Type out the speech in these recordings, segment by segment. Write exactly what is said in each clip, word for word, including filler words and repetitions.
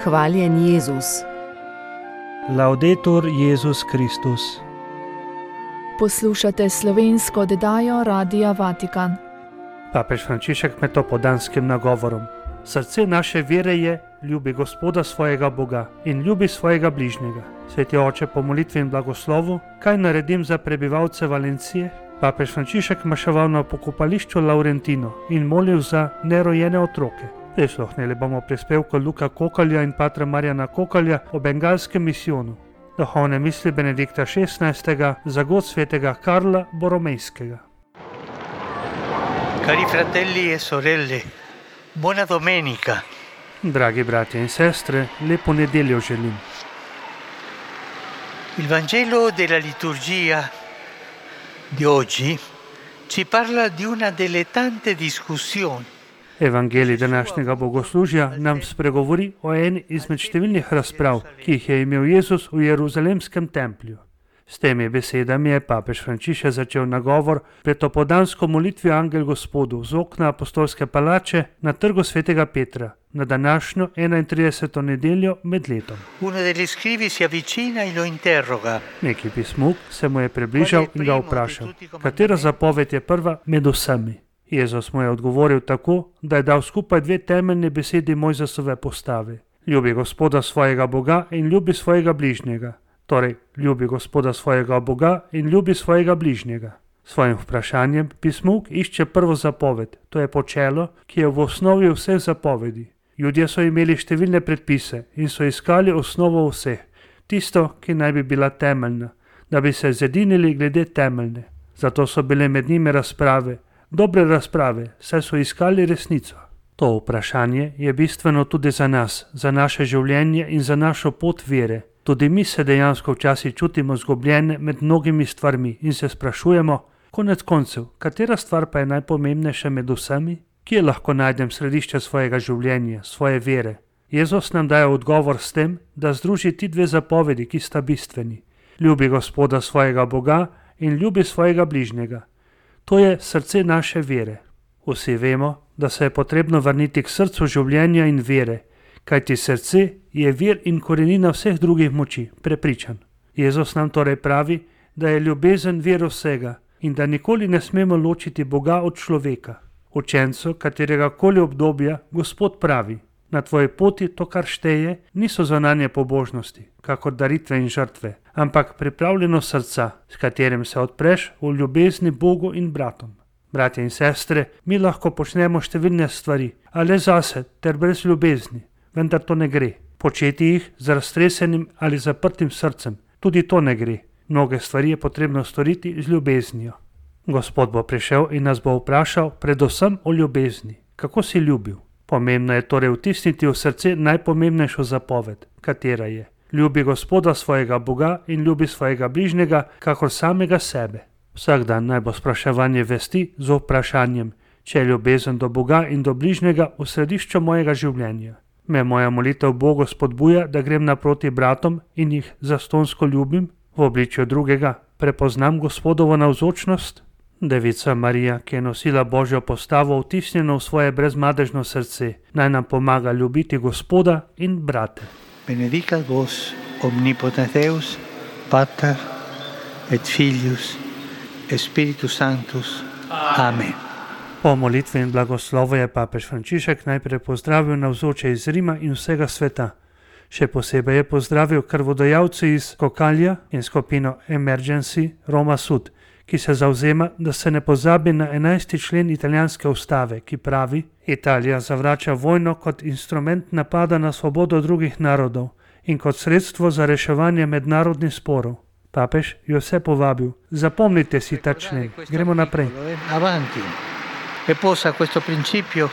Hvaljen Jezus. Laudetur Jezus Kristus. Poslušate slovensko oddajo Radia Vatikan. Papež Frančišek med topodanskim nagovorom. Srce naše vere je, ljubi Gospoda svojega Boga in ljubi svojega bližnjega. Sveti oče, po molitvi in blagoslovu, kaj naredim za prebivalce Valencije? Papež Frančišek maševal na pokopališču Laurentino in molil za nerojene otroke. Prisluhnili bomo prispevku Luka Kokalja in patra Marjana Kokalja o bengalskem misijonu. Duhovne misli Benedikta šestnajstega za god svetega Karla Boromejskega. Cari fratelli e sorelle, buona domenica. Dragi bratje in sestre, lepo nedeljo želim. Il Vangelo della liturgia di oggi ci parla di una delle tante discussioni. Evangelij današnjega bogoslužja nam spregovori o eni izmed številnih razprav, ki jih je imel Jezus v Jeruzalemskem templju. S temi besedami je papež Frančišek začel nagovor pred opodansko molitvijo Angel Gospodu z okna apostolske palače na trgu svetega Petra na današnjo enaintrideseto nedeljo med letom. Uno degli scrivi si avvicina e lo interroga. Neki pismuk se mu je približal in ga vprašal, katera zapoved je prva med vsemi. Jezus mu je odgovoril tako, da je dal skupaj dve temeljne besedi Mojzesove postave. Ljubi Gospoda svojega Boga in ljubi svojega bližnjega. Torej, ljubi Gospoda svojega Boga in ljubi svojega bližnjega. Svojim vprašanjem pismuk išče prvo zapoved, to je počelo, ki je v osnovi vseh zapovedi. Ljudje so imeli številne predpise in so iskali osnovo vseh, tisto, ki naj bi bila temeljna, da bi se zedinili glede temeljne. Zato so bile med njimi razprave, dobre razprave, saj so iskali resnico. To vprašanje je bistveno tudi za nas, za naše življenje in za našo pot vere. Tudi mi se dejansko včasih čutimo zgubljene med mnogimi stvarmi in se sprašujemo, konec koncev, katera stvar pa je najpomembnejša med vsemi? Kje lahko najdem središče svojega življenja, svoje vere? Jezus nam daje odgovor s tem, da združi ti dve zapovedi, ki sta bistveni. Ljubi Gospoda svojega Boga in ljubi svojega bližnjega. To je srce naše vere. Vsi vemo, da se je potrebno vrniti k srcu življenja in vere, kajti srce je vir in korenina vseh drugih moči, prepričan. Jezus nam torej pravi, da je ljubezen vir vsega in da nikoli ne smemo ločiti Boga od človeka. Učencu katerega koli obdobja Gospod pravi, na tvoji poti to, kar šteje, niso zunanje pobožnosti, kakor daritve in žrtve, ampak pripravljeno srca, s katerim se odpreš v ljubezni Bogu in bratom. Bratje in sestre, mi lahko počnemo številne stvari, a le zase ter brez ljubezni, vendar to ne gre. Početi jih z raztresenim ali zaprtim srcem, tudi to ne gre. Mnoge stvari je potrebno storiti z ljubeznijo. Gospod bo prišel in nas bo vprašal predvsem o ljubezni. Kako si ljubil? Pomembno je torej vtisniti v srce najpomembnejšo zapoved, katera je: ljubi Gospoda svojega Boga in ljubi svojega bližnjega, kakor samega sebe. Vsak dan naj bo spraševanje vesti z vprašanjem, če je ljubezen do Boga in do bližnjega v središču mojega življenja. Me moja molitev Bogu spodbuja, da grem naproti bratom in jih zastonsko ljubim, v obličju drugega prepoznam Gospodovo navzočnost. Devica Marija, ki je nosila Božjo postavo vtisnjeno v svoje brezmadežno srce, naj nam pomaga ljubiti Gospoda in brate. Benedicat vos omnipotens Deus, Pater et Filius et Spiritus Sanctus. Amen. Po molitvi in blagoslovu je papež Frančišek najprej pozdravil navzoče iz Rima in vsega sveta. Še posebej je pozdravil krvodajalce iz Kokalja in skupino Emergency Roma Sud, ki se zavzema, da se ne pozabi na enajsti člen italijanske ustave, ki pravi: Italija zavrača vojno kot instrument napada na svobodo drugih narodov in kot sredstvo za reševanje mednarodnih sporov. Papež je vse povabil: zapomnite si ta člen, gremo naprej. Avanti. E possa questo principio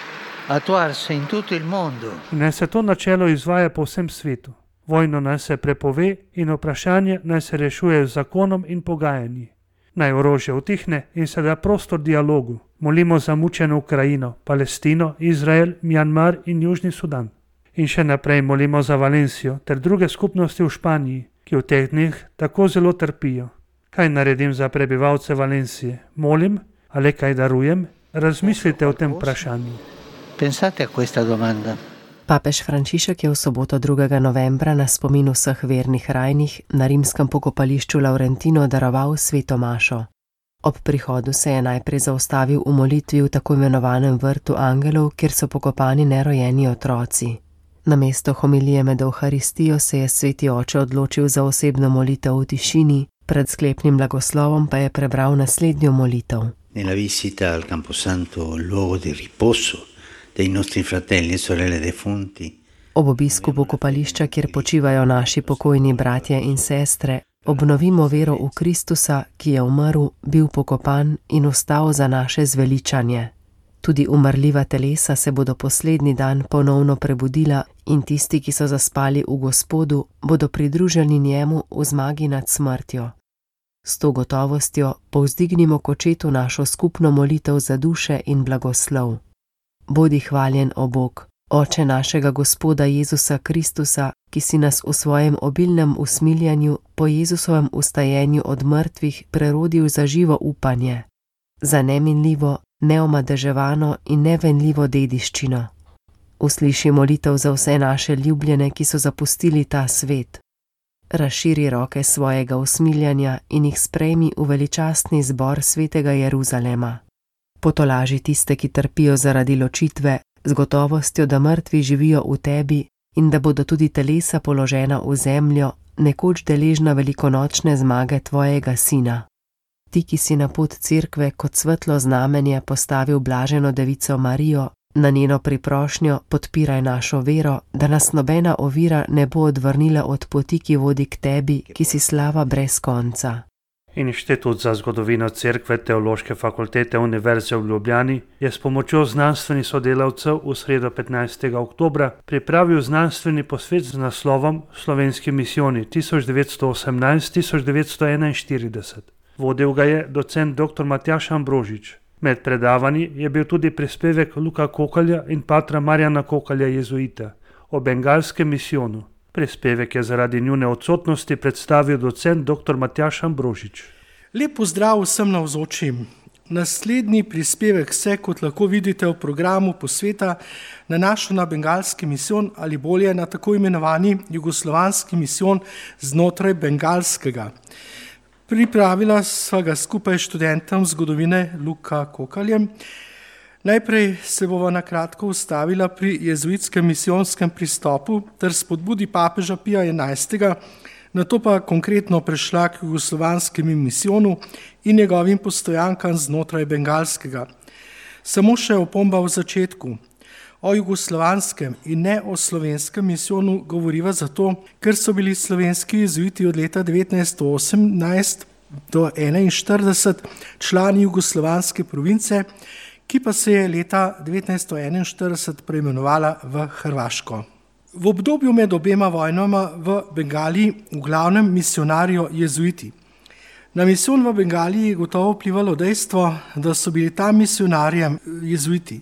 attuarsi in tutto il mondo. Naj se to načelo izvaja po vsem svetu. Vojno naj se prepove in vprašanje naj se rešuje z zakonom in pogajanji. Naj orožje utihne in se da prostor dialogu. Molimo za mučeno Ukrajino, Palestino, Izrael, Mjanmar in Južni Sudan. In še naprej molimo za Valencijo ter druge skupnosti v Španiji, ki v teh dneh tako zelo trpijo. Kaj naredim za prebivalce Valencije? Molim ali kaj darujem? Razmislite o tem vprašanju. Pensate a questa domanda. Papež Frančišek je v soboto drugega novembra na spomin vseh vernih rajnih na rimskem pokopališču Laurentino daroval sveto mašo. Ob prihodu se je najprej zaustavil v molitvi v tako imenovanem vrtu angelov, kjer so pokopani nerojeni otroci. Namesto homilije med Evharistijo se je sveti oče odločil za osebno molitev v tišini, pred sklepnim blagoslovom pa je prebral naslednjo molitev. Nella visita al Camposanto, luogo di riposo dei nostri fratelli e sorelle defunti. Ob obisku pokopališča, kjer počivajo naši pokojni bratje in sestre, obnovimo vero v Kristusa, ki je umrl, bil pokopan in vstal za naše zveličanje. Tudi umrljiva telesa se bodo poslednji dan ponovno prebudila in tisti, ki so zaspali v Gospodu, bodo pridruženi njemu v zmagi nad smrtjo. S to gotovostjo povzdignimo k očetu našo skupno molitev za duše in blagoslov. Bodi hvaljen, o Bog, Oče našega Gospoda Jezusa Kristusa, ki si nas v svojem obilnem usmiljanju po Jezusovem ustajenju od mrtvih prerodil za živo upanje, za neminljivo, neomadeževano in nevenljivo dediščino. Usliši molitev za vse naše ljubljene, ki so zapustili ta svet. Razširi roke svojega usmiljanja in jih sprejmi v veličastni zbor svetega Jeruzalema. Potolaži tiste, ki trpijo zaradi ločitve, z gotovostjo, da mrtvi živijo v tebi in da bodo tudi telesa položena v zemljo, nekoč deležna velikonočne zmage tvojega sina. Ti, ki si na pot cerkve kot svetlo znamenje postavil blaženo devico Marijo, na njeno priprošnjo podpiraj našo vero, da nas nobena ovira ne bo odvrnila od poti, ki vodi k tebi, ki si slava brez konca. Inštitut za zgodovino cerkve Teološke fakultete Univerze v Ljubljani je s pomočjo znanstvenih sodelavcev v sredo petnajstega oktobra pripravil znanstveni posvet z naslovom Slovenski misijoni tisoč devetsto osemnajst do tisoč devetsto enainštirideset. Vodil ga je docent doktor Matjaž Ambrožič. Med predavanji je bil tudi prispevek Luka Kokalja in patra Marjana Kokalja jezuita o bengalskem misijonu. Prispevek je zaradi njune odsotnosti predstavil docent doktor Matjaž Ambrožič. Lep pozdrav vsem navzočim. Naslednji prispevek se, kot lahko vidite v programu posveta, nanaša na bengalski misijon ali bolje na tako imenovani jugoslovanski misijon znotraj bengalskega. Pripravila sva ga skupaj študentom zgodovine Luka Kokaljem. Najprej se bova na kratko ustavila pri jezuitskem misijonskem pristopu ter spodbudi papeža Pija enajstega, nato pa konkretno prešla k jugoslovanskemu misijonu in njegovim postojankam znotraj bengalskega. Samo še opomba v začetku. O jugoslovanskem in ne o slovenskem misijonu govoriva zato, ker so bili slovenski jezuiti od leta devetnajststo osemnajst do enainštirideset člani jugoslovanske province, ki pa se je leta devetnajststo enainštirideset preimenovala v Hrvaško. V obdobju med obema vojnama v Bengaliji v glavnem misionarijo jezuiti. Na misijon v Bengaliji je gotovo vplivalo dejstvo, da so bili tam misionarjem jezuiti.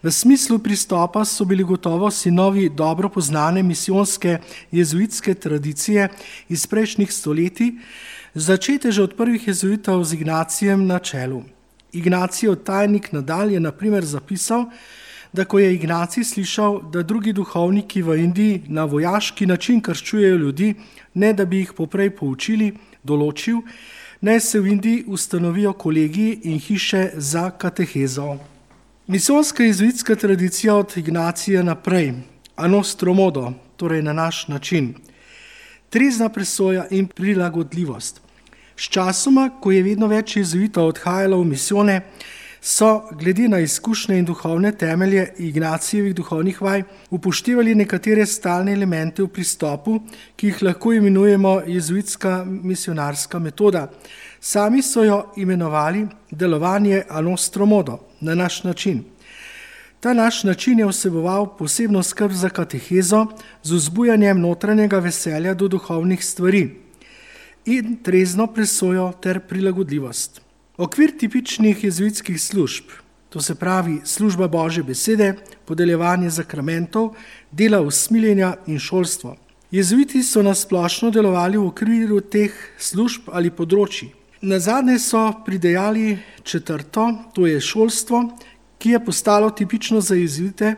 V smislu pristopa so bili gotovo sinovi dobro poznane misijonske jezuitske tradicije iz prejšnjih stoletij, začete že od prvih jezuitov z Ignacijem na čelu. Ignacijev tajnik Nadal je na primer zapisal, da ko je Ignacij slišal, da drugi duhovniki v Indiji na vojaški način krščujejo ljudi, ne da bi jih poprej poučili, določil, naj se v Indiji ustanovijo kolegiji in hiše za katehezo. Misijonska jezuitska tradicija od Ignacija naprej, a nostro modo, torej na naš način, trezna presoja in prilagodljivost. S časoma, ko je vedno več jezuitov odhajalo v misijone, so glede na izkušnje in duhovne temelje Ignacijevih duhovnih vaj upoštevali nekatere stalne elemente v pristopu, ki jih lahko imenujemo jezuitska misionarska metoda. Sami so jo imenovali delovanje a nostro modo, na naš način. Ta naš način je vseboval posebno skrb za katehezo z vzbujanjem notranjega veselja do duhovnih stvari in trezno presojo ter prilagodljivost. Okvir tipičnih jezuitskih služb, to se pravi služba Božje besede, podeljevanje zakramentov, dela usmiljenja in šolstvo. Jezuiti so nasplošno delovali v okviru teh služb ali področij. Nazadnje so pridejali četrto, to je šolstvo, ki je postalo tipično za jezuite,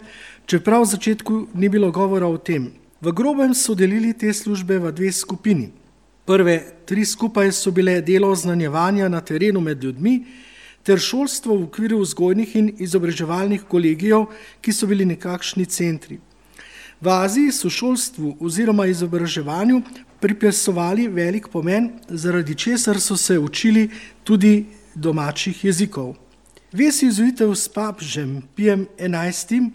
čeprav v začetku ni bilo govora o tem. V grobem so delili te službe v dve skupini. Prve tri skupaj so bile delo oznanjevanja na terenu med ljudmi ter šolstvo v okviru vzgojnih in izobraževalnih kolegijev, ki so bili nekakšni centri. V Aziji so šolstvu oziroma izobraževanju pripisovali velik pomen, zaradi česar so se učili tudi domačih jezikov. Vez jezuitev s papežem Pijem enajstim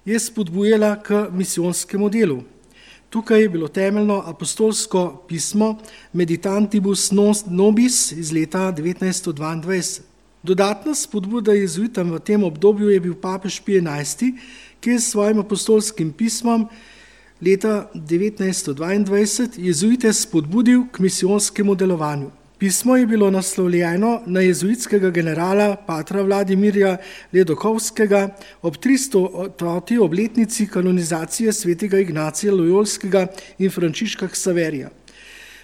je spodbujala k misijonskemu delu. Tukaj je bilo temeljno apostolsko pismo Meditantibus Nobis iz leta devetnajststo dvaindvajset. Dodatna spodbuda jezuitam v tem obdobju je bil papež Pijem enajsti, ki je s svojim apostolskim pismom leta devetnajststo dvaindvajset jezuite spodbudil k misijonskemu delovanju. Pismo je bilo naslovljeno na jezuitskega generala patra Vladimirja Ledokovskega ob tristoti obletnici kanonizacije svetega Ignacija Lojolskega in Frančiška Ksaverija.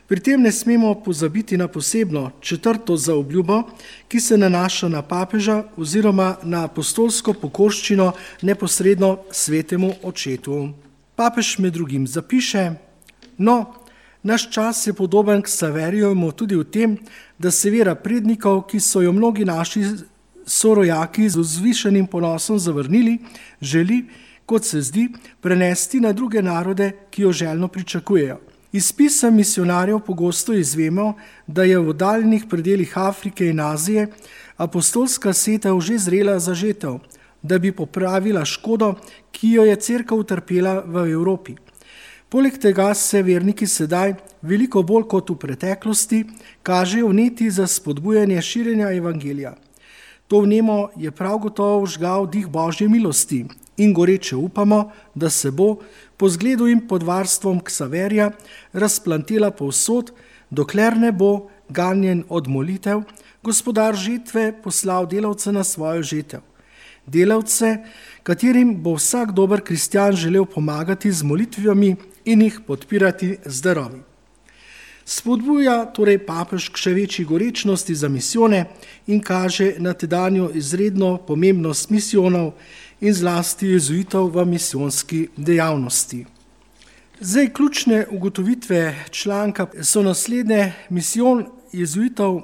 Pri tem ne smemo pozabiti na posebno četrto zaobljubo, ki se nanaša na papeža oziroma na apostolsko pokorščino neposredno svetemu očetu. Papež med drugim zapiše: No, naš čas je podoben Ksaverijevemu tudi v tem, da se vera prednikov, ki so jo mnogi naši sorojaki z vzvišenim ponosom zavrnili, želi, kot se zdi, prenesti na druge narode, ki jo željno pričakujejo. Iz pisem misionarjev pogosto izvemo, da je v daljnih predelih Afrike in Azije apostolska setev že zrela za žetev, da bi popravila škodo, ki jo je cerkev utrpela v Evropi. Poleg tega se verniki sedaj, veliko bolj kot v preteklosti, kažejo vneti za spodbujanje širjenja evangelija. To vnemo je prav gotovo vžgal dih Božje milosti in goreče upamo, da se bo po zgledu in pod varstvom Ksaverija razplantela povsod, dokler ne bo ganjen od molitev, gospodar žetve poslal delavce na svojo žetev. Delavce, katerim bo vsak dober kristjan želel pomagati z molitvami in jih podpirati z darovi. Spodbuja torej papež k še večji gorečnosti za misijone in kaže na tedanjo izredno pomembnost misijonov in zlasti jezuitov v misijonski dejavnosti. Zdaj, ključne ugotovitve članka so naslednje. Misijon jezuitov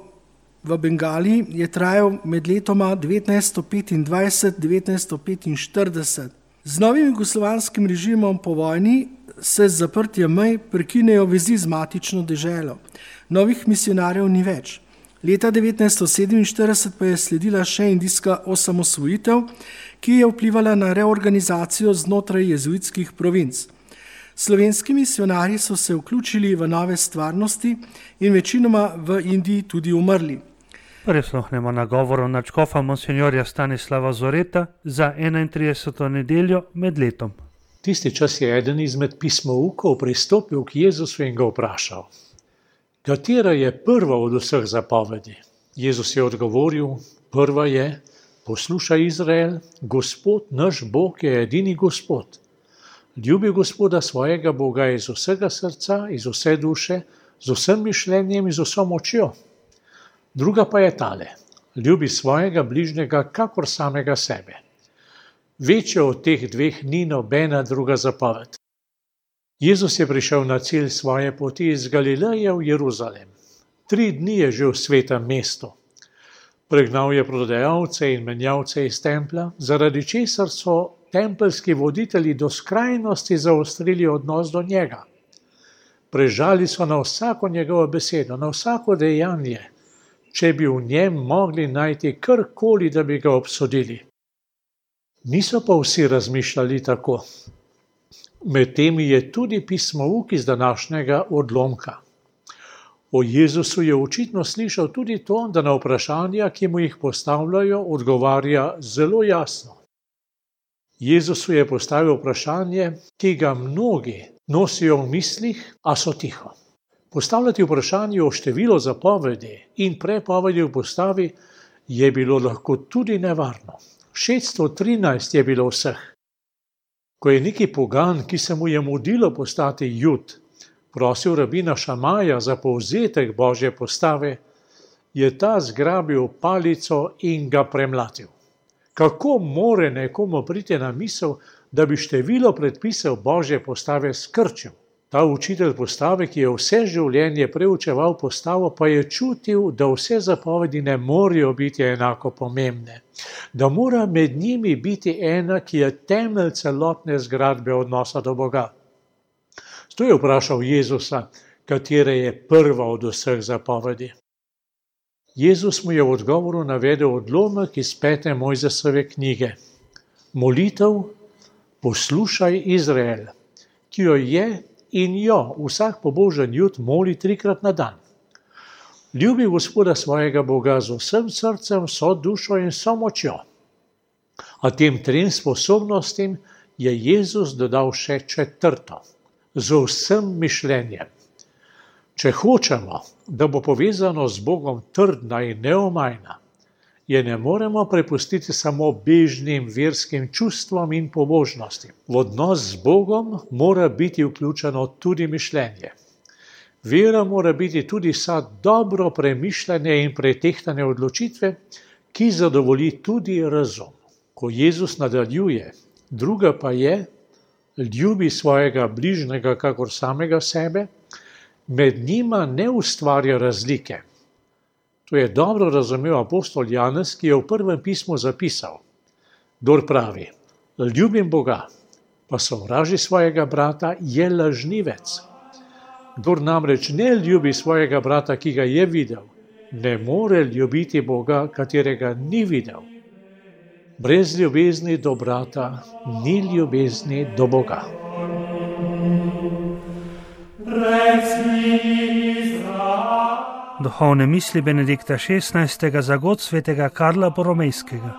v Bengaliji je trajal med letoma devetnajststo petindvajset do devetnajststo petinštirideset. Z novim jugoslovanskim režimom po vojni se z zaprtjem mej prekinejo vezi z matično deželo. Novih misionarjev ni več. Leta devetnajststo sedeminštirideset pa je sledila še indijska osamosvojitev, ki je vplivala na reorganizacijo znotraj jezuitskih provinc. Slovenski misionarji so se vključili v nove stvarnosti in večinoma v Indiji tudi umrli. Prisluhnemo nagovoru nadškofa monsinjorja Stanislava Zoreta za enaintrideseto nedeljo med letom. Tisti čas je eden izmed pismoukov pristopil k Jezusu in ga vprašal: Katera je prva od vseh zapovedi? Jezus je odgovoril: Prva je: Poslušaj, Izrael, Gospod naš Bog je edini Gospod. Ljubi Gospoda svojega Boga iz vsega srca, iz vse duše, z vsem mišljenjem in z vso močjo. Druga pa je tale: ljubi svojega bližnjega kakor samega sebe. Večja od teh dveh ni nobena druga zapoved. Jezus je prišel na cilj svoje poti iz Galileje v Jeruzalem. Tri dni je že v svetem mestu. Pregnal je prodajalce in menjavce iz templja, zaradi česar so tempeljski voditelji do skrajnosti zaostrili odnos do njega. Prežali so na vsako njegovo besedo, na vsako dejanje, če bi v njem mogli najti karkoli, da bi ga obsodili. Niso pa vsi razmišljali tako. Med temi je tudi pismouk iz današnjega odlomka. O Jezusu je očitno slišal tudi to, da na vprašanja, ki mu jih postavljajo, odgovarja zelo jasno. Jezusu je postavil vprašanje, ki ga mnogi nosijo v mislih, a so tiho. Postavljati vprašanje o številu zapovedi in prepovedi v postavi je bilo lahko tudi nevarno. šeststo trinajst je bilo vseh. Ko je neki pogan, ki se mu je mudilo postati Jud, prosil rabina Šamaja za povzetek Božje postave, je ta zgrabil palico in ga premlatil. Kako more nekomu priti na misel, da bi število predpisov Božje postave skrčil. Ta učitelj postave, ki je vse življenje preučeval postavo, pa je čutil, da vse zapovedi ne morejo biti enako pomembne, da mora med njimi biti ena, ki je temelj celotne zgradbe odnosa do Boga. To je vprašal Jezusa, katera je prva od vseh zapovedi. Jezus mu je v odgovoru navedel odlomek iz pete Mojzesove knjige. Molitev, poslušaj Izrael, ki jo je in jo vsak pobožen jud moli trikrat na dan. Ljubi Gospoda svojega Boga z vsem srcem, vso dušo in vso močjo. A tem trem sposobnostim je Jezus dodal še četrto, z vsem mišljenjem. Če hočemo, da bo povezano z Bogom trdna in neomajna, je ne moremo prepustiti samo bežnim verskim čustvom in pobožnostim. V odnos z Bogom mora biti vključeno tudi mišljenje. Vera mora biti tudi vsa dobro premišljene in pretehtane odločitve, ki zadovolji tudi razum. Ko Jezus nadaljuje, druga pa je, ljubi svojega bližnjega kakor samega sebe, med njima ne ustvarja razlike. To je dobro razumel apostol Janez, ki je v prvem pismu zapisal: Kdor pravi, ljubim Boga, pa sovraži svojega brata, je lažnivec. Kdor namreč ne ljubi svojega brata, ki ga je videl, ne more ljubiti Boga, katerega ni videl. Brez ljubezni do brata ni ljubezni do Boga. Duhovne misli Benedikta šestnajstega za god svetega Karla Boromejskega.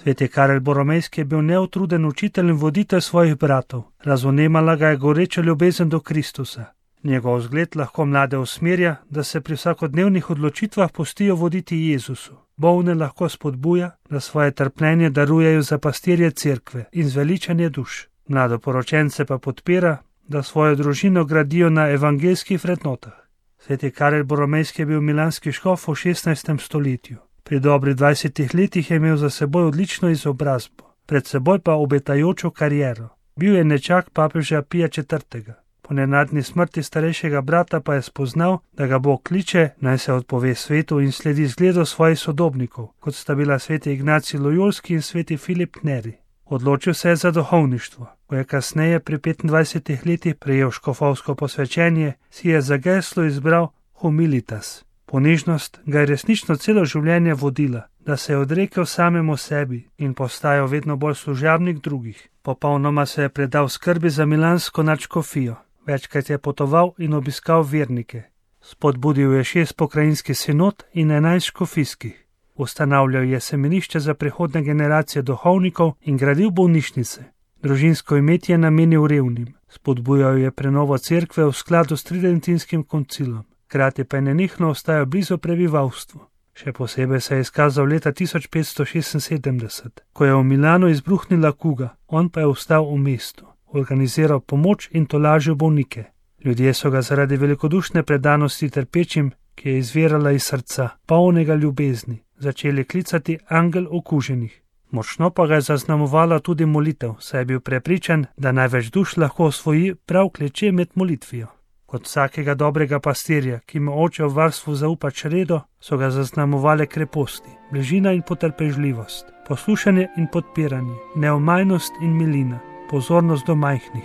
Sveti Karel Boromejski je bil neutruden učitelj in voditelj svojih bratov. Razumela ga je goreča ljubezen do Kristusa. Njegov zgled lahko mlade usmerja, da se pri vsakodnevnih odločitvah pustijo voditi Jezusu. Bolne lahko spodbuja, da svoje trpljenje darujejo za pastirje cerkve in zveličanje duš. Mladoporočence pa podpira, da svojo družino gradijo na evangeljskih vrednotah. Sveti Karel Boromejski je bil milanski škof v šestnajstem stoletju. Pri dobrih dvajsetih letih je imel za seboj odlično izobrazbo, pred seboj pa obetajočo kariero. Bil je nečak papeža Pija četrtega. Po nenadni smrti starejšega brata pa je spoznal, da ga Bog kliče, naj se odpove svetu in sledi zgledu svojih sodobnikov, kot sta bila sveti Ignacij Lojolski in sveti Filip Neri. Odločil se je za duhovništvo. Ko je kasneje pri petindvajsetih letih prejel škofovsko posvečenje, si je za geslo izbral humilitas. Ponižnost ga je resnično celo življenje vodila, da se je odrekel samemu sebi in postajal vedno bolj služabnik drugih. Popolnoma se je predal skrbi za milansko nadškofijo. Večkrat je potoval in obiskal vernike. Spodbudil je šest pokrajinskih sinod in enajst škofijskih. Ustanavljal je semenišče za prihodne generacije duhovnikov in gradil bolnišnice. Družinsko imetje je namenil revnim. Spodbujal je prenovo cerkve v skladu s tridentinskim koncilom. Hkrati pa je nenehno ostajal blizu prebivalstvu. Še posebej se je izkazal leta tisoč petsto šestinsedemdeset, ko je v Milanu izbruhnila kuga, on pa je ostal v mestu, organiziral pomoč in tolažil bolnike. Ljudje so ga zaradi velikodušne predanosti trpečim, ki je izvirala iz srca, polnega ljubezni, začeli klicati angel okuženih. Močno pa ga je zaznamovala tudi molitev, saj je bil prepričan, da največ duš lahko osvoji prav kleče med molitvijo. Kot vsakega dobrega pastirja, ki mu oče v varstvu zaupa čredo, so ga zaznamovale kreposti, bližina in potrpežljivost, poslušanje in podpiranje, neomajnost in milina, pozornost do majhnih.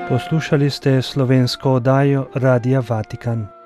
Poslušali ste slovensko oddajo Radia Vatikan.